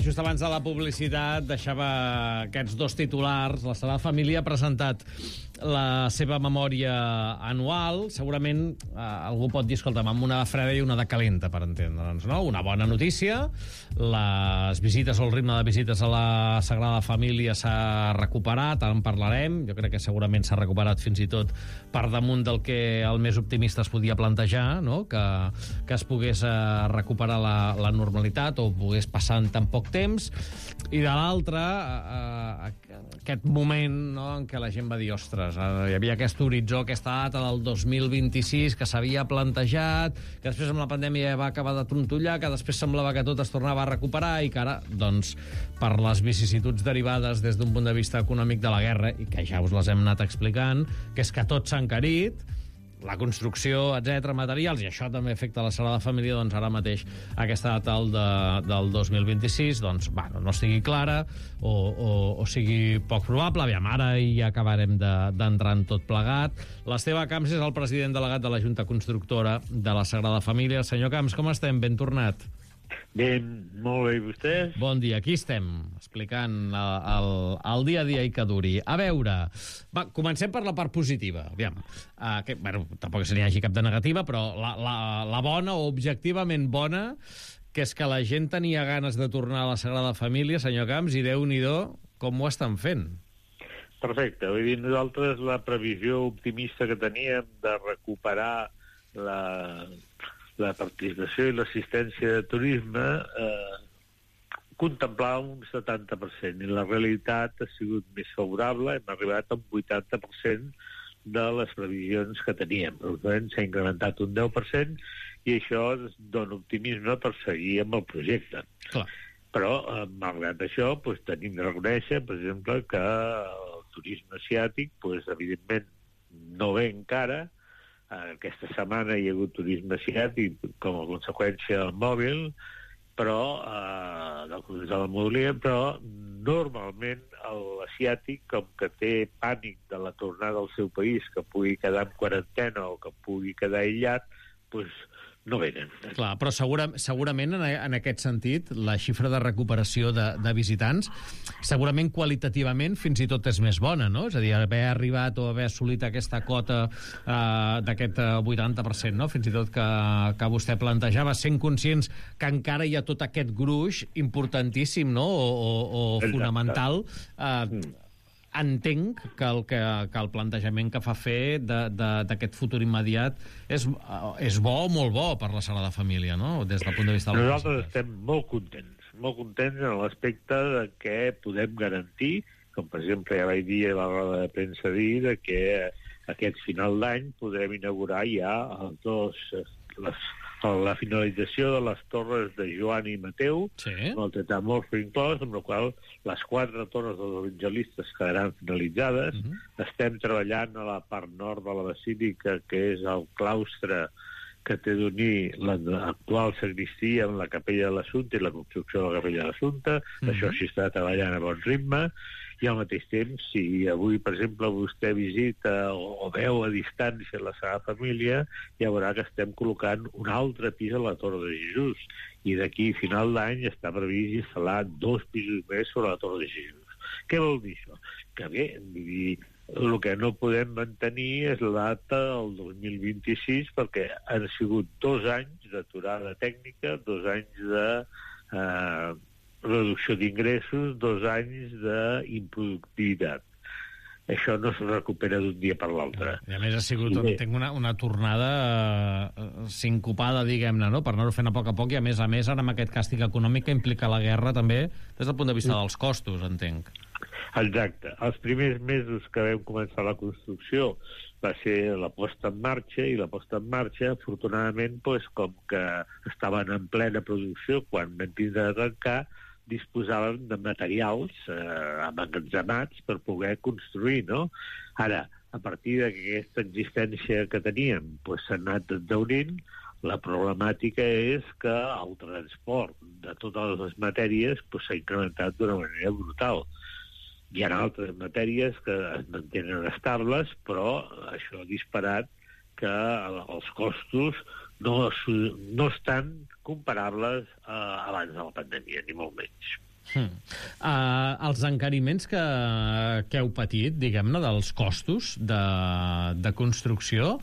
just abans de la publicitat deixava aquests dos titulars. La Sagrada Família ha presentat la seva memòria anual. Segurament algú pot dir, escolta'm, amb una de freda i una de calenta, per entendre'ns, no? Una bona notícia, les visites o el ritme de visites a la Sagrada Família s'ha recuperat, ara en parlarem. Jo crec que segurament s'ha recuperat fins i tot per damunt del que el més optimista es podia plantejar, no? Que es pogués recuperar la normalitat o pogués passar en tan poc temps. I de l'altre, aquest moment, no?, en què la gent va dir, ostres, hi havia aquest horitzó, aquesta data del 2026 que s'havia plantejat, que després amb la pandèmia va acabar de trontollar, que després semblava que tot es tornava a recuperar i que ara, doncs, per les vicissituds derivades des d'un punt de vista econòmic de la guerra, i que ja us les hem anat explicant, que és que tot s'ha encarit, la construcció, etc, materials, i això també afecta la Sagrada Família, doncs ara mateix aquesta data del 2026 doncs, bueno, no estigui clara o sigui poc probable. Aviam, ara ja acabarem d'entrar en tot plegat. L'Esteve Camps és el president delegat de la Junta Constructora de la Sagrada Família. Senyor Camps, com estem? Ben tornat. Bé, molt bé, i vostès? Bon dia, aquí estem, explicant el dia a dia i que duri. A veure, va, comencem per la part positiva. Aviam, bueno, tampoc se n'hi hagi cap de negativa, però la bona o objectivament bona, que és que la gent tenia ganes de tornar a la Sagrada Família, senyor Camps, i Déu-n'hi-do com ho estan fent. Perfecte, vull dir, nosaltres la previsió optimista que teníem de recuperar la participació i l'assistència de turisme contemplava un 70%, i la realitat ha sigut més favorable. Hem arribat a un 80% de les previsions que teníem. S'ha incrementat un 10%, i això ens dona optimisme per seguir amb el projecte. Clar. Però, malgrat això, tenim de reconèixer, per exemple, que el turisme asiàtic, evidentment, no ve encara. Aquesta setmana hi ha hagut turisme asiàtic com a conseqüència del mòbil, però de la mobilitat, però normalment l'asiàtic, com que té pànic de la tornada al seu país, que pugui quedar en quarantena o que pugui quedar aïllat, no venen. Clar, però segurament en aquest sentit la xifra de recuperació de visitants segurament qualitativament fins i tot és més bona, no? És a dir, haver arribat o haver assolit aquesta cota d'aquest 80%, no? Fins i tot que vostè plantejava, sent conscients que encara hi ha tot aquest gruix importantíssim, no? O fonamental. Entenc que el plantejament que fa fer d'aquest futur immediat és bo o molt bo per la Sagrada Família, no? Des del punt de vista de la Nosaltres estem molt contents en l'aspecte de que podem garantir, com per exemple ja vaig dir a la roda de premsa de que aquest final d'any podrem inaugurar ja la finalització de les torres de Joan i Mateu, sí, amb el tetamorfo inclòs, amb la qual les 4 torres dels evangelistes quedaran finalitzades. Estem treballant a la part nord de la basílica, que és el claustre que té d'unir l'actual sagristia amb la capella de l'Assumpte i la construcció de la capella de l'Assumpte. Això s'hi està treballant a bon ritme, i al mateix temps, si avui, per exemple, vostè visita o veu a distància la Sagrada Família, ja veurà que estem col·locant un altre pis a la Torre de Jesús, i d'aquí a final d'any està previst instal·lar 2 pisos més sobre la Torre de Jesús. Què vol dir això? Que bé, el que no podem mantenir és la data del 2026, perquè han sigut 2 anys d'aturada tècnica, 2 anys de reducció d'ingressos, 2 anys d'improductivitat. Això no es recupera d'un dia per l'altre. I a més ha sigut, entenc, una tornada sincopada, diguem-ne, no? Per anar-ho fent a poc, i a més ara amb aquest càstig econòmic que implica la guerra també, des del punt de vista dels costos, entenc. Exacte. Els primers mesos que vam començar la construcció va ser la posta en marxa, i la posta en marxa, afortunadament, com que estaven en plena producció, quan vam tindre de tancar, disposaven de materials emmagatzemats per poder construir, no? Ara, a partir d'aquesta existència que teníem, s'ha anat endaurint. La problemàtica és que el transport de totes les matèries s'ha incrementat d'una manera brutal. Hi ha altres matèries que es mantenen estables, però això ha disparat que els costos no estan comparables abans de la pandèmia, ni molt menys. Els encariments que heu patit, diguem-ne, dels costos de construcció,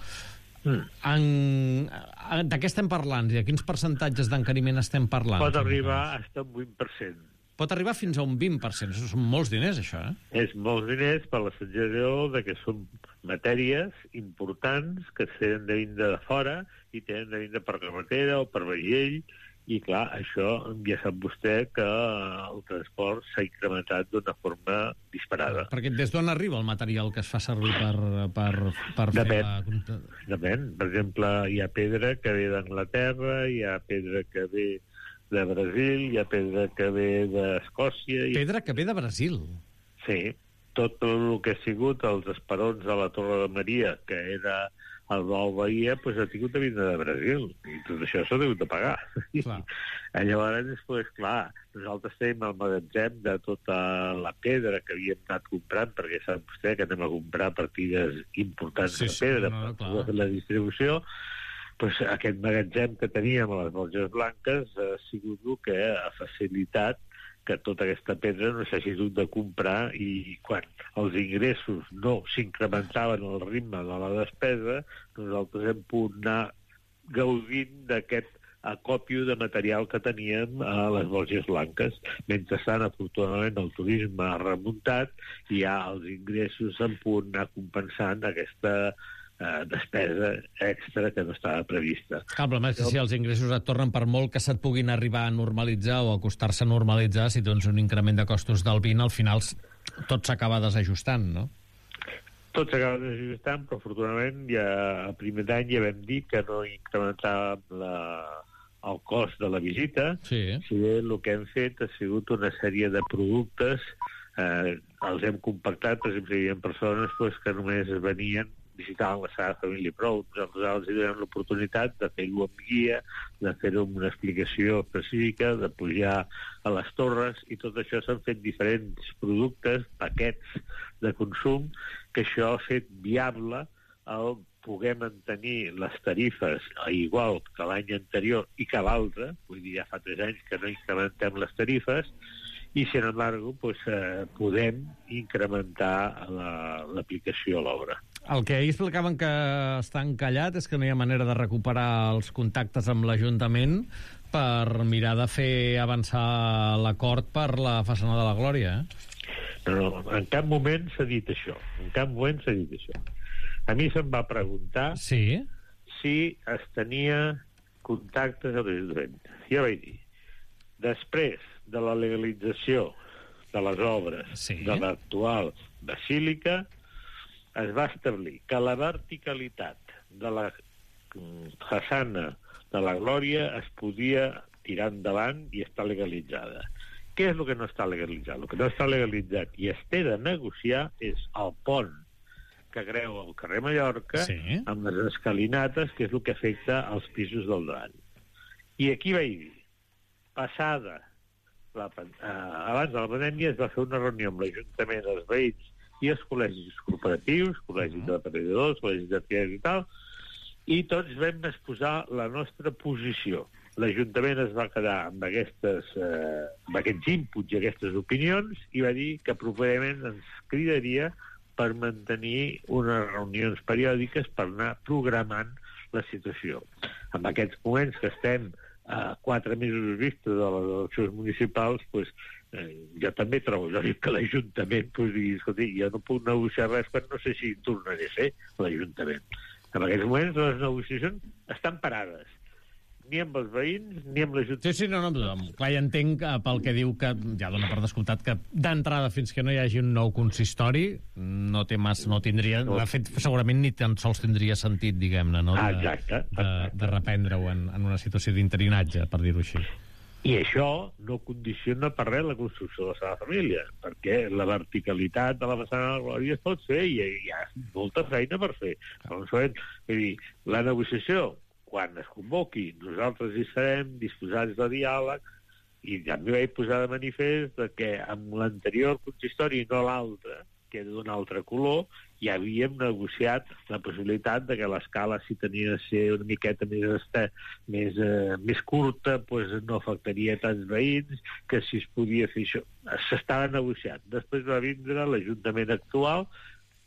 de què estem parlant? De quins percentatges d'encariment estem parlant? Pot arribar fins a un 20%. Pot arribar fins a un 20%. Això són molts diners, això, És molts diners per la sensació de que són matèries importants que tenen de vindre de fora i tenen de vindre per carretera o per vaixell. I, clar, això ja sap vostè que el transport s'ha incrementat d'una forma disparada. Perquè des d'on arriba el material que es fa servir per fer la... Depèn. Per exemple, hi ha pedra que ve d'Anglaterra, hi ha pedra que ve de Brasil, hi ha pedra que ve d'Escòcia... Pedra que ve de Brasil? Sí. Tot el que ha sigut els esperons de la Torre de Maria, que era el Blau Bahia, doncs ha tingut de vindre de Brasil. I tot això s'ha hagut de pagar. Llavors, després, clar, nosaltres tenim el magatzem de tota la pedra que havíem anat comprant, perquè sap vostè que anem a comprar partides importants de pedra per fer la distribució. Pues aquest magatzem que teníem a les Borges Blanques ha sigut el que ha facilitat que tota aquesta pedra no s'hagi hagut de comprar, i quan els ingressos no s'incrementaven al ritme de la despesa, nosaltres hem pogut anar gaudint d'aquest acòpio de material que teníem a les Borges Blanques. Mentrestant, afortunadament, el turisme ha remuntat i ja els ingressos han pogut anar compensant aquesta despesa extra que no estava prevista. El problema és que si els ingressos et tornen, per molt que se't puguin arribar a normalitzar o a costar-se a normalitzar, si tens un increment de costos del 20, al final tot s'acaba desajustant, no? Tot s'acaba desajustant, però afortunadament ja a primer d'any ja vam dir que no incrementàvem el cost de la visita. Si bé el que hem fet ha sigut una sèrie de productes, els hem compactat. Per exemple, hi havia persones que només venien visitaven la Sagrada Família i prou. Nosaltres els donem l'oportunitat de fer-ho amb guia, de fer-ho amb una explicació específica, de pujar a les torres, i tot això s'han fet diferents productes, paquets de consum, que això ha fet viable el poder mantenir les tarifes igual que l'any anterior i que l'altre, vull dir, ja fa 3 anys que no incrementem les tarifes, i, sin embargo, podem incrementar l'aplicació a l'obra. El que ahir explicaven que està encallat és que no hi ha manera de recuperar els contactes amb l'Ajuntament per mirar de fer avançar l'acord per la façana de la Glòria, No, en cap moment s'ha dit això. En cap moment s'ha dit això. A mi se'm va preguntar si es tenia contactes a l'Ajuntament. Jo vaig dir, després de la legalització de les obres de l'actual basílica, es va establir que la verticalitat de la façana de la Glòria es podia tirar endavant i està legalitzada. Què és el que no està legalitzat? El que no està legalitzat i es té de negociar és el pont que creu el carrer Mallorca amb les escalinates, que és el que afecta als pisos del davant. I aquí vaig dir, abans de la pandèmia es va fer una reunió amb l'Ajuntament, els veïns i els col·legis corporatius, col·legis de treballadors, col·legis d'arquitectes i tal, i tots vam exposar la nostra posició. L'Ajuntament es va quedar amb aquests inputs i aquestes opinions i va dir que properament ens cridaria per mantenir unes reunions periòdiques per anar programant la situació. En aquests moments que estem a 4 mesos vista de les eleccions municipals, jo també trobo que l'Ajuntament digui, escolti, jo no puc negociar res quan no sé si tornaré a ser l'Ajuntament. En aquests moments les negociacions estan parades. Ni amb els veïns, ni amb l'Ajuntament. Clar, ja entenc pel que diu que ja dona per descomptat que d'entrada fins que no hi hagi un nou consistori no tindria, de fet segurament ni tan sols tindria sentit, diguem-ne, no? De reprendre-ho en una situació d'interinatge, per dir-ho així. I això no condiciona per res la construcció de la Sagrada Família, perquè la verticalitat de la façana de la Glòria es pot fer i hi ha molta feina per fer. La negociació, quan es convoqui, nosaltres hi serem disposats de diàleg, i també vaig posar de manifest que amb l'anterior consistori, no l'altre, que era d'un altre color, ja havíem negociat la possibilitat de que l'escala, si tenia de ser una miqueta més curta, doncs no afectaria tants veïns, que si es podia fer això. S'estava negociant. Després va vindre l'Ajuntament actual,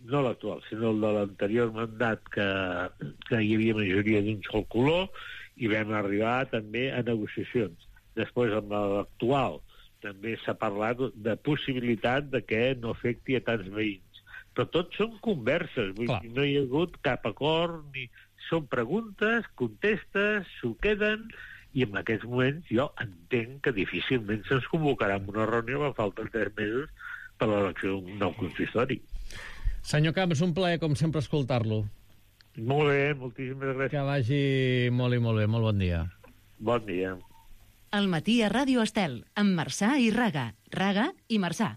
no l'actual, sinó el de l'anterior mandat, que hi havia majoria d'un sol color, i vam arribar també a negociacions. Després, amb l'actual, també s'ha parlat de possibilitat de que no afecti a tants veïns. Però tot són converses, vull dir, no hi ha hagut cap acord, ni són preguntes, contestes, s'ho queden, i en aquests moments jo entenc que difícilment se'ns convocarà en una reunió, que falten 3 mesos per l'elecció d'un nou consistori. Senyor Camps, un plaer, com sempre, escoltar-lo. Molt bé, moltíssimes gràcies. Que vagi molt i molt bé. Molt bon dia. Bon dia. Al matí a Ràdio Estel, amb Marçà i Raga. Raga i Marçà.